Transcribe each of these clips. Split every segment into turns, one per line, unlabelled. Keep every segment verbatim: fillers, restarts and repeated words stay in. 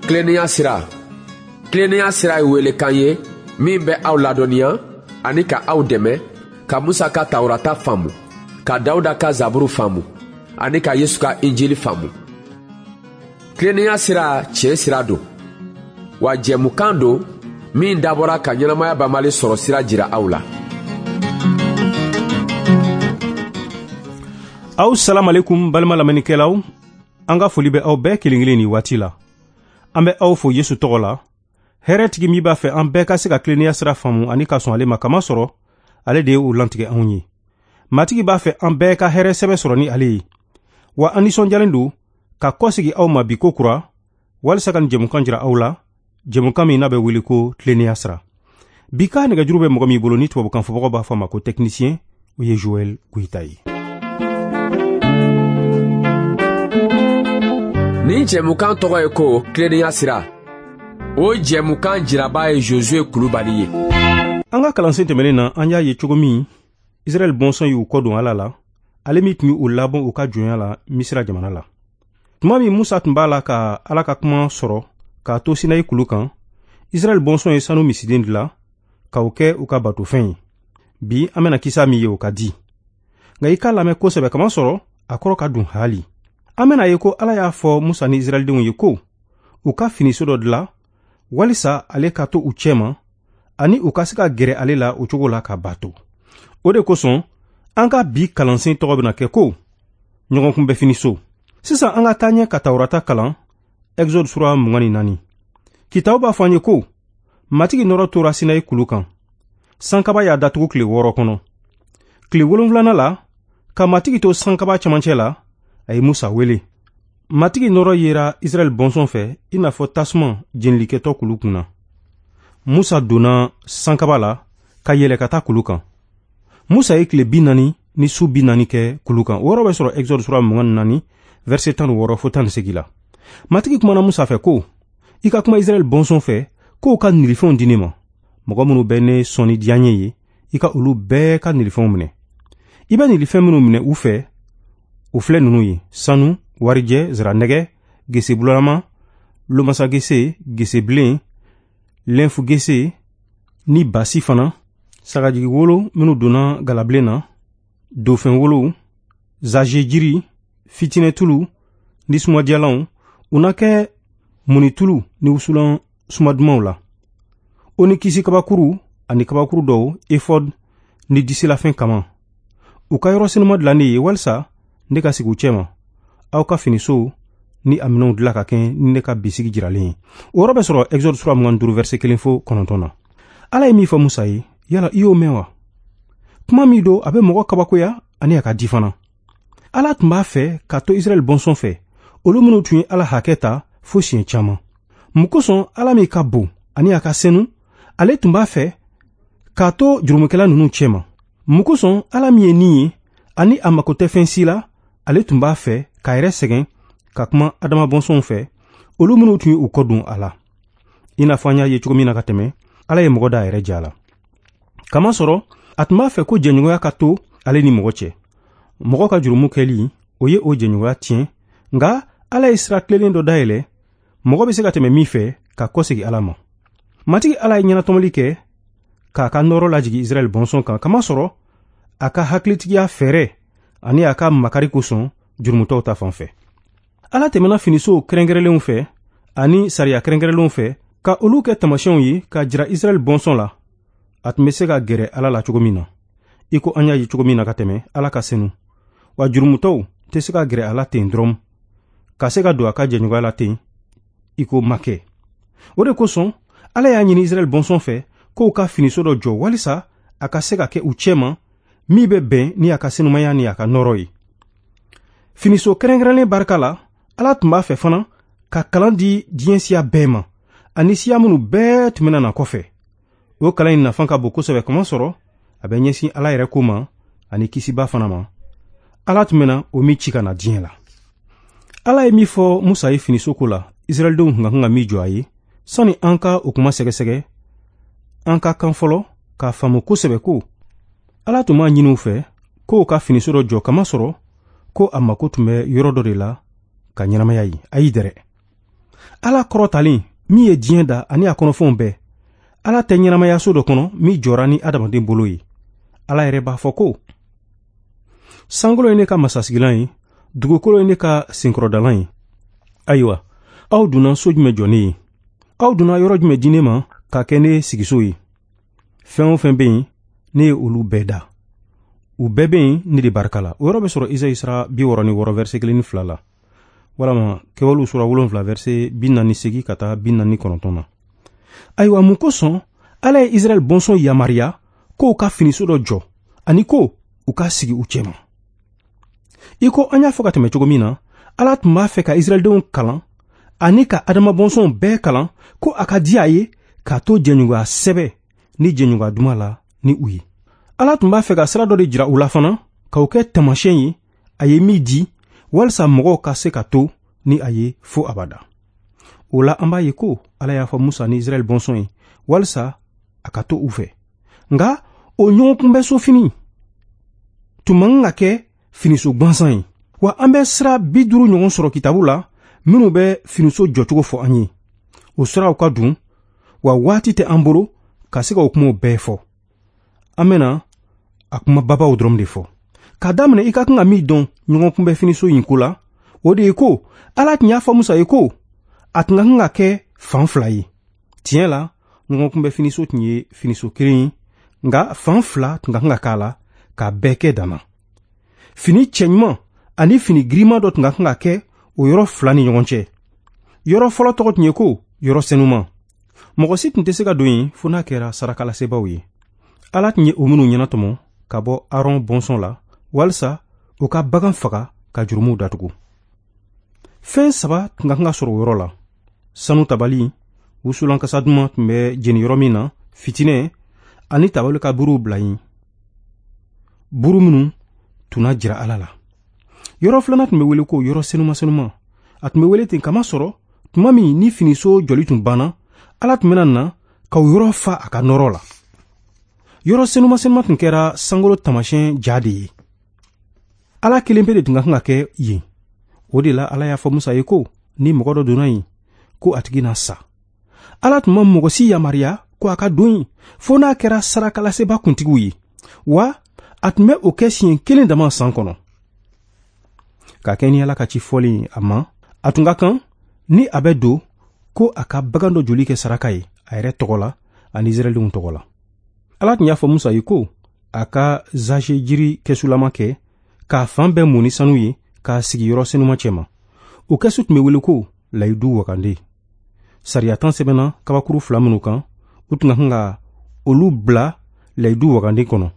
Tilennenya sira. Tilennenya sira ye welekan ye min bɛ aw ladɔnniya ani ka aw dɛmɛ ka Musa ka Tawurata faamu, ka Dawuda ka Zaburu faamu ani ka Yesu ka Injili faamu. Tilennenya sira tiɲɛ sira don, wa jɛmukan don min dabɔra ka ɲɛnamaya banbali sɔrɔ sira jira aw la.
Aw salam alaikum balima lamɛnnikɛlaw, an ka foli bɛ aw bɛɛ kelen kelen nin waati la. An bɛ aw fo Yesu tɔgɔ la. Hɛrɛtigi min b'a fɛ an bɛɛ ka se ka tilennenya sira faamu ani ka sɔn ale ma, kama sɔrɔ ale de ye o lantigɛ anw ye. Matigi b'a fɛ an bɛɛ ka hɛrɛ sɛbɛ sɔrɔ ni ale ye. Wa an nisɔndiyalen don ka kɔsegi aw ma bi ko kura walisa ka nin jɛmukan jira aw la, jɛmukan min n'a bɛ wele ko tilennenya sira. Bi ka nɛgɛjuru bɛ mɔgɔ min bolo ni tubabukan fɔbagaw b'a fɔ a ma ko technicien, o ye Joël Goïta ye.
Nin jɛmukan tɔgɔ ye ko tilennenya sira. O jɛmukan jiraba ye Josué Kulubali ye.
An ka kalansen tɛmɛnen na, an y'a ye cogo min Israɛl bɔnsɔn y'u kɔ don Ala la, ale min tun y'u labɔ u ka jɔnya la Misira jamana la. Tuma min Musa tun b'a la ka Ala ka kuma sɔrɔ k'a to Sinayi kulu kan, Israɛl bɔnsɔn ye sanu misiden dilan k'o kɛ u ka batofɛn ye. Bi an bɛna kisa min ye o ka di. Nka i k'a lamɛn kosɛbɛ, kama sɔrɔ a kɔrɔ ka dun haali. An bɛna ye ko Ala y'a fɔ Musa ni Israɛldenw ye ko u ka finiso dɔ dilan walisa ale ka to u cɛma ani u ka se ka gɛrɛ ale la o cogo la ka bato. O de kosɔn an ka bi kalansen tɔgɔ bɛna kɛ ko ɲɔgɔnkunbɛ finiso. Sisan an ka taa ɲɛ ka Tawurata kalan, Exode sura mugan ni naani. Kitabu b'a fɔ an ye ko Matigi nɔrɔ tora Sinayi kulu kan. Sankaba y'a datugu tile wɔɔrɔ kɔnɔ. Tile wolonwulanan la, ka Matigi to sankaba cɛmancɛ la, a ye Musa wele. Matigi nɔrɔ yera Israɛl bɔnsɔn fɛ i n'a fɔ tasuma jenilikɛtɔ kulu kunna. Musa donna sankaba la ka yɛlɛ ka taa kulu kan. Musa ye tile bi naani ni su bi naani kɛ kulu kan. O yɔrɔ bɛ sɔrɔ Exode sura mugan ni naani, verset tan ni wɔɔrɔ fo tan ni seegin la. Matigi kumana Musa fɛ ko, i ka kuma Israɛl bɔnsɔn fɛ k'o ka nilifɛnw di ne ma. Mɔgɔ minnu bɛ ne sɔn ni diyaɲɛ ye, i ka olu bɛɛ ka nilifɛnw minɛ. I bɛ nilifɛn minnu minɛ u fɛ, o filɛ ninnu ye: sanu, warijɛ, ziranɛgɛ, gese bulama, lomasa gese, gese bilen, lɛnfu gese ni basi fana, sagajigi wolo minnu donna galabilen na, dofɛn wolow, zaze jiri, fitinɛtulu ni sumadiyalanw, u na kɛ munitulu ni wusulan sumadumanw la. O ni kisi kabakuru ani kabakuru dɔw, efɔd ni disilafɛn kama. U ka yɔrɔ senuma dilan ne ye walisa ne ka sigi u cɛma. Aw ka finiso ni a minɛnw dilan ka kɛ ni ne ka bisigi jiralen ye. O yɔrɔ bɛ sɔrɔ Exode sura mugan ni duuru, verset kelen fo kɔnɔntɔn na. Ala ye min fɔ Musa ye, yala i y'o mɛn wa? Kuma min don, a bɛ mɔgɔ kabakoya ani a ka di fana. Ala tun b'a fɛ ka to Israɛl bɔnsɔn fɛ, olu minnu tun ye Ala hakɛ ta fo siɲɛ caman. Mun kosɔn Ala min ka bon ani a ka senu, ale tun b'a fɛ k'a to jurumukɛla ninnu cɛma. Mun kosɔn Ala min ye nin ye ani a mako tɛ fɛn si la, ale tun b'a fɛ k'a yɛrɛ sɛgɛn ka kuma Adama bɔnsɔnw fɛ, olu minnu tun ye u kɔ don a la. I n'a fɔ an y'a ye cogo min na ka tɛmɛ, Ala ye mɔgɔ da a yɛrɛ ja la. Kamasɔrɔ a tun b'a fɛ ko jɛɲɔgɔnya ka to ale ni mɔgɔ cɛ. Mɔgɔ ka jurumu kɛli, o ye o jɛɲɔgɔnya tiɲɛ, nka Ala ye sira tilennen dɔ dayɛlɛ, mɔgɔ bɛ se ka tɛmɛ min fɛ ka kɔsegi Ala ma. Matigi Ala ye ɲɛnatɔmɔli kɛ k'a ka nɔrɔ lajigin Israɛl bɔnsɔn kan, kamasɔrɔ a ka hakilitigiya fɛɛrɛ ani a ka makari kosɔn jurumutɔw ta fan fɛ. Ala tɛmɛna finisow kɛrɛnkɛrɛnlenw fɛ ani sariya kɛrɛnkɛrɛnlenw fɛ ka olu kɛ taamasiyɛnw ye k'a jira Israɛl bɔnsɔn la a tun bɛ se ka gɛrɛ Ala la cogo min na. I ko an y'a ye cogo min na ka tɛmɛ, Ala ka senu, wa jurumutɔw tɛ se ka gɛrɛ a la ten dɔrɔn, ka se ka don a ka jɛɲɔgɔnya la ten i ko ma kɛ. O de kosɔn Ala y'a ɲini Israɛl bɔnsɔn fɛ k'o ka finiso dɔ jɔ walisa a ka se ka kɛ u cɛma min bɛ bɛn ni a ka senumaya ni a ka nɔrɔ ye. Finiso kɛrɛnkɛrɛnlen barika la, Ala tun b'a fɛ fana ka kalan di diɲɛ siya bɛɛ ma ani siya minnu bɛɛ tun bɛna na kɔfɛ. O kalan in nafa ka bon kosɛbɛ, kamasɔrɔ a bɛ ɲɛsin Ala yɛrɛ ko ma ani kisiba fana ma. Ala tun bɛna o min ci ka na diɲɛ la. Ala ye min fɔ Musa ye finiso ko la, Israɛldenw tun ka kan ka min jɔ a ye, sani an ka o kuma sɛgɛsɛgɛ, an ka kan fɔlɔ k'a faamu kosɛbɛ ko Ala tun b'a ɲini u fɛ k'o ka finiso dɔ jɔ, kamasɔrɔ ko a mako tun bɛ yɔrɔ dɔ de la ka ɲɛnamaya ye. Ayi dɛrɛ, Ala kɔrɔtalen min ye diɲɛ da ani a kɔnɔfɛnw bɛɛ, Ala tɛ ɲɛnamaya so dɔ kɔnɔ min jɔra ni adamaden bolo ye. Ala yɛrɛ b'a fɔ ko sankolo ye ne ka masasigilan ye, dugukolo ye ne ka senkɔrɔdalan ye. Ayiwa, aw donna so jumɛn jɔ ne ye? Aw donna yɔrɔ jumɛn di ne ma ka kɛ ne sigiso ye? Fɛn o fɛn bɛ yen, ne ye olu bɛɛ da. U bɛɛ bɛ yen ne de barika la. O yɔrɔ bɛ sɔrɔ Izayi sura bi wɔɔrɔ ni wɔɔrɔ verset kelen ni fila la, walama Kɛwalew sura wolonfila verset bi naani seegin ka taa bi naani kɔnɔntɔn na. Ayiwa, mun kosɔn Ala ye Israɛl bɔnsɔn yamaruya k'o ka finiso dɔ jɔ ani ko u ka sigi u cɛma? I ko an y'a fɔ ka tɛmɛ cogo min na, Ala tun b'a fɛ ka Israɛldenw kalan ani ka Adama bɔnsɔnw bɛɛ kalan ko a ka di a ye k'a to jɛɲɔgɔnya sɛbɛ ni jɛɲɔgɔnya duman la ni u ye. Ala tun b'a fɛ ka sira dɔ de jira u la fana, k'o kɛ taamasiyɛn ye a ye min di walisa mɔgɔw ka se ka to ni a ye fo abada. O la, an b'a ye ko Ala y'a fɔ Musa ni Israɛl bɔnsɔn ye walisa a ka to u fɛ. Nka o ɲɔgɔnkunbɛso fini tun man kan ka kɛ finiso gansan ye. Wa an bɛ sira bi duuru ɲɔgɔn sɔrɔ kitabu la minnu bɛ finiso jɔcogo fɔ an ye. O siraw ka dun, wa waati tɛ an bolo ka se ka o kumaw bɛɛ fɔ. An bɛna a kuma babaw dɔrɔn de fɔ. K'a daminɛ, i ka kan ka min dɔn ɲɔgɔnkunbɛ finiso in ko la, o de ye ko Ala tun y'a fɔ Musa ye ko a tun ka kan ka kɛ fan fila ye. Tiɲɛ la, ɲɔgɔnkunbɛ finiso tun ye finiso kelen ye, nka fan fila tun ka kan ka k'a la k'a bɛɛ kɛ danna. Fini cɛɲuman ani fini girinman dɔ tun ka kan ka kɛ o yɔrɔ fila ni ɲɔgɔn cɛ. Yɔrɔ fɔlɔ tɔgɔ tun ye ko yɔrɔ senuman. Mɔgɔ si tun tɛ se ka don yen fo n'a kɛra sarakalasebaaw ye. Ala tun ye o minnu ɲɛnatɔmɔ ka bɔ Aron bɔnsɔn la walisa u ka bagan faga ka jurumuw datugu. Fɛn saba tun ka kan ka sɔrɔ o yɔrɔ la: sanu tabali, wusulan kasa duman tun bɛ jeni yɔrɔ min na, fitinɛ, ani tabali ka buruw bila yen, buru minnu tun na jira Ala la. Yɔrɔ filanan tun bɛ wele ko yɔrɔ senuma senuma. A tun bɛ wele ten kamasɔrɔ tuma min ni finiso jɔli tun banna, Ala tun bɛna na ka o yɔrɔ fa a ka nɔrɔ la. Yɔrɔ senuma senuma tun kɛra sankolo taamasiyɛn ja de ye. Ala kelen pe de tun ka kan ka kɛ yen. O de la, Ala y'a fɔ Musa ye ko ni mɔgɔ dɔ donna yen, ko a tigi na sa. Ala tun ma mɔgɔ si yamaruya ko a ka don yen fo n'a kɛra sarakalaseba kuntigiw ye, wa a tun bɛ o kɛ siɲɛ kelen dama san kɔnɔ. Ka kɛ ni Ala ka ci fɔlen a ma, a tun ka kan ni a bɛ don ko a ka bagan dɔ joli kɛ saraka ye a yɛrɛ tɔgɔ la ani Israɛldenw tɔgɔ la. Ala tun y'a fɔ Musa ye ko a ka zaze jiri kɛsulama kɛ k'a fan bɛɛ mun ni sanu ye k'a sigi yɔrɔ senuma cɛma. O kɛsu tun bɛ wele ko layidu wagande. Sariya tan sɛbɛnna kabakuru fila minnu kan, u tun ka kan ka olu bila layidu wagande kɔnɔ.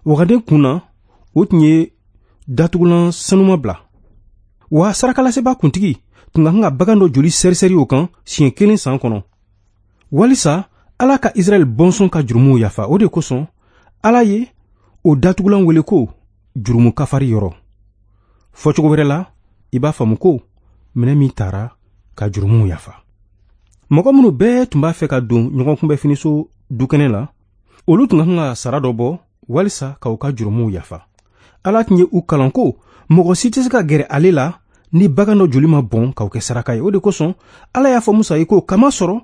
Wagande kun na, o tun ye datugulan sanuma bila. Wa sarakalaseba kuntigi tun ka kan ka bagan dɔ joli sɛrisɛri o kan siɲɛ kelen san kɔnɔ, walisa Ala ka Israɛl bɔnsɔn ka jurumuw yafa. O de kosɔn Ala ye o datugulan wele ko jurumu kafari yɔrɔ. Fɔcogo wɛrɛ la, i b'a faamu ko minɛ min taara ka jurumuw yafa. Mɔgɔ minnu bɛɛ tun b'a fɛ ka don ɲɔgɔnkunbɛ finiso dukɛnɛ la, olu tun ka kan ka sara dɔ bɔ walisa ka u ka jurumuw yafa. Ala tun ye u kalan ko mɔgɔ si tɛ se ka gɛrɛ ale la ni bagan dɔ joli ma bɔn k'o kɛ saraka ye. O de kosɔn Ala y'a fɔ Musa ye ko kamasɔrɔ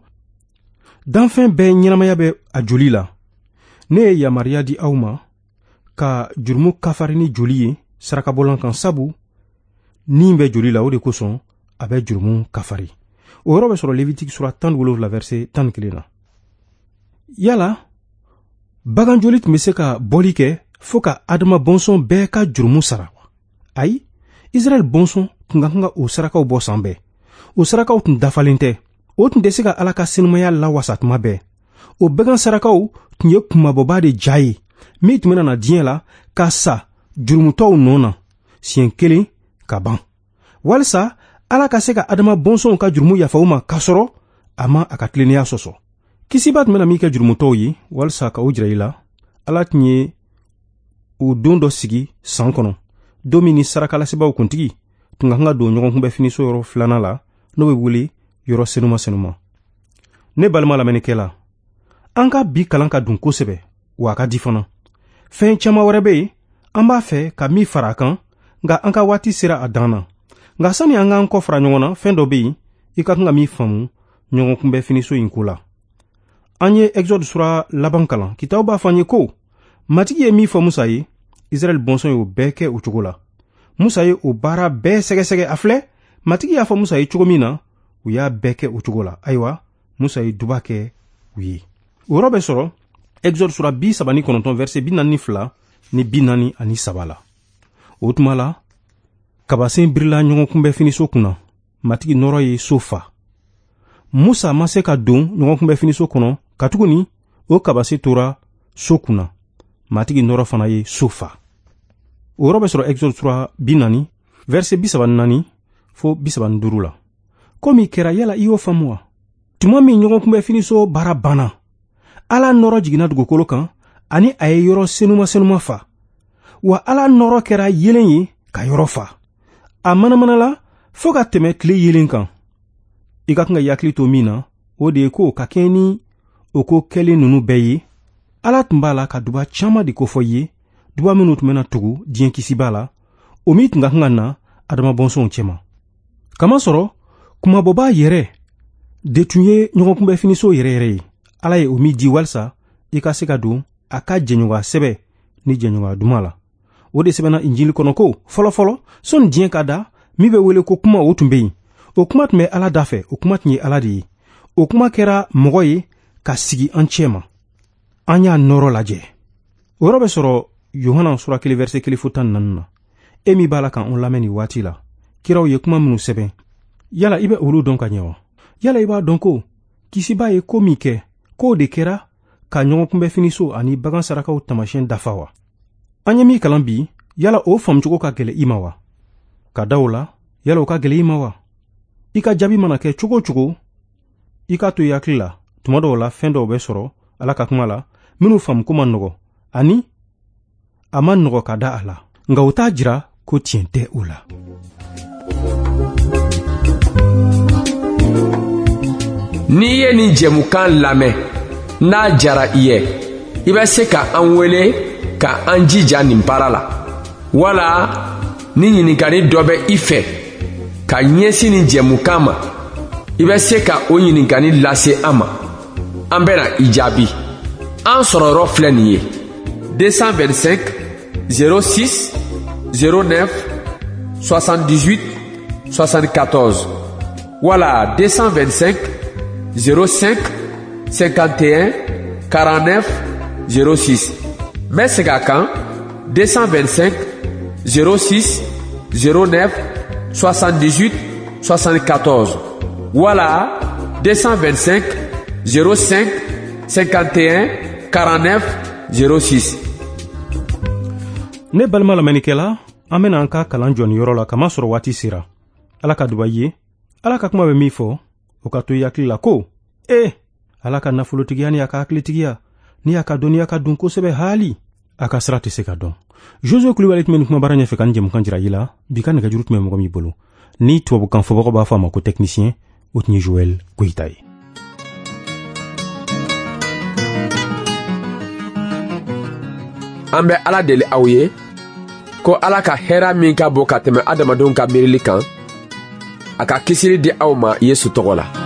danfɛn bɛɛ ɲɛnamaya bɛ a joli la, ne ye yamaruya di aw ma ka jurumu kafari ni joli ye sarakabɔlan kan, sabu ni bɛ joli la, o de kosɔn a bɛ jurumu kafari. O yɔrɔ bɛ sɔrɔ Levitiki sura tan ni wolonwula verset tan ni kelen na. Yala bagan joli tun bɛ se ka bɔli kɛ fo ka Adama bɔnsɔn bɛɛ ka jurumu sara wa? Ayi, Israɛl bɔnsɔn tun ka kan ka o sarakaw bɔ san bɛɛ. O sarakaw tun dafalen tɛ. O tun tɛ se ka Ala ka senumaya lawasa tuma bɛɛ. O bagan sarakaw tun ye kunmabɔba de ja ye min tun bɛna na diɲɛ la ka sa jurumutɔw nɔ na siɲɛ kelen ka ban, walisa Ala ka se ka Adama bɔnsɔnw ka jurumu yafa u ma k'a sɔrɔ a ma a ka tilennenya sɔsɔ. Kisiba tun bɛna min kɛ jurumutɔw ye walisa ka o jira i la, Ala tun ye o don dɔ sigi san kɔnɔ, don min ni sarakalasebaaw kuntigi tun ka kan ka don ɲɔgɔnkunbɛ finiso yɔrɔ filanan la, n'o bɛ wele yɔrɔ senuma senuma. Ne balima lamɛnnikɛla, an ka bi kalan ka dun kosɛbɛ, wa a ka di fana. Fɛn caman wɛrɛ bɛ yen an b'a fɛ ka min fara a kan, nka an ka waati sera a dan na. Nka sani an k'an kɔ fara ɲɔgɔn na, fɛn dɔ bɛ yen i ka kan ka min faamu ɲɔgɔn kunbɛ finiso in ko la. An ye Exode sura laban kalan. Kitabu b'a fɔ an ye ko Matigi ye min fɔ Musa ye, Israɛl bɔnsɔn y'o bɛɛ kɛ o cogo la. Musa ye o baara bɛɛ sɛgɛsɛgɛ. A filɛ, Matigi y'a fɔ Musa ye cogo min na, u y'a bɛɛ kɛ o cogo la. Ayiwa, Musa ye duba kɛ u ye. O yɔrɔ bɛ sɔrɔ Exode sura bi saba ni kɔnɔntɔn verset bi naani ni fila ni bi naani ani saba la. O tuma la, kabasen birila ɲɔgɔn kunbɛ finiso kunna. Matigi nɔrɔ ye so fa. Musa ma se ka don ɲɔgɔn kunbɛ finiso kɔnɔ, katuguni o kabase tora so kunna. Matigi nɔrɔ fana ye so fa. O yɔrɔ bɛ sɔrɔ Exode sura bi naani verset bi saba ni naani fo bi saba ni duuru la. Ko min kɛra, yala i y'o faamu wa? Tuma min ɲɔgɔn kunbɛ finiso baara banna, Ala nɔrɔ jiginna dugukolo kan ani a ye yɔrɔ senuma senuma fa. Wa Ala nɔrɔ kɛra yelen ye ka yɔrɔ fa. A manamanala fo ka tɛmɛ tile yelen kan. I ka kan ka i hakili to min na, o de ye ko ka kɛɲɛ ni o ko kɛlen ninnu bɛɛ ye, Ala tun b'a la ka duba caman de kofɔ i ye, duba minnu tun bɛna tugu diɲɛ kisiba la, o min tun ka kan ka na Adama bɔnsɔnw cɛma. Kamasɔrɔ kumabɔbaa yɛrɛ de tun ye ɲɔgɔn kunbɛ finiso yɛrɛ yɛrɛ ye. Ala ye o min di walisa i ka se ka don a ka jɛɲɔgɔnya sɛbɛ ni jɛɲɔgɔnya duman la. O de sɛbɛnna Injili kɔnɔ ko fɔlɔfɔlɔ sɔnni diɲɛ ka da, min bɛ wele ko kuma, o tun bɛ yen. O kuma tun bɛ Ala da fɛ, o kuma tun ye Ala de ye. O kuma kɛra mɔgɔ ye ka sigi an cɛ ma. An y'a nɔrɔ lajɛ. O yɔrɔ bɛ sɔrɔ Yohana sura kelen verset kelen fo tan ni naani na. E min b'a la k'an lamɛn nin waati la, kiraw ye kuma minnu sɛbɛn, yala i bɛ olu dɔn ka ɲɛ wa? Yala i b'a dɔn ko kisiba ye ko min kɛ, k'o de kɛra ka ɲɔgɔn kunbɛ finiso ani bagan sarakaw taamasiyɛn dafa wa? An ye min kalan bi, yala o faamucogo ka gɛlɛn i ma wa? Ka da o la, yala o ka gɛlɛn i ma wa? I ka jaabi mana kɛ cogo o cogo, i k'a to i hakili la, tuma dɔw la fɛn dɔw bɛ sɔrɔ Ala ka kuma la minnu faamuko man nɔgɔ ani a man nɔgɔ ka da a la, nka o t'a jira ko tiɲɛ tɛ o la.
N'i ye nin jɛmukan lamɛn, n'a jara i ye, i bɛ se ka an wele ka an jija nin baara la, wala ni ɲininkali dɔ bɛ i fɛ ka ɲɛsin nin jɛmukan ma, i bɛ se ka o ɲininkali lase an ma. An bɛna i jaabi. An sɔrɔyɔrɔ filɛ nin ye: deux cent vingt-cinq zéro six zéro neuf soixante-dix-huit soixante-quatorze wala deux cent vingt-cinq zéro cinq cinquante et un quarante-neuf zéro six. N bɛ segin a kan: deux cent vingt-cinq zéro six zéro neuf soixante-dix-huit soixante-quatorze wala deux cent vingt-cinq zéro cinq cinquante et un quarante-neuf zéro six.
Ne balima lamɛnnikɛla, an bɛna an ka kalan jɔ nin yɔrɔ la kamasɔrɔ waati sera. Ala ka duba i ye. Ala ka kuma bɛ min fɔ, o ka to i hakili la ko ee, Ala ka nafolotigiya ni a ka hakilitigiya ni a ka dɔnniya ka dun kosɛbɛ haali, a ka sira tɛ se ka dɔn. Josue Kulibali tun bɛ nin kumabara ɲɛfɛ ka nin jɛmukan jira i la. Bi ka nɛgɛjuru tun bɛ mɔgɔ min bolo, ni tubabukan fɔbagaw b'a fɔ a ma ko technicien, o tun ye Joël Goyita ye.
An bɛ Ala deli aw ye ko Ala ka hɛrɛ min ka bon ka tɛmɛ adamadenw ka miirili kan, a ka kisili di aw ma Yesu tɔgɔ la.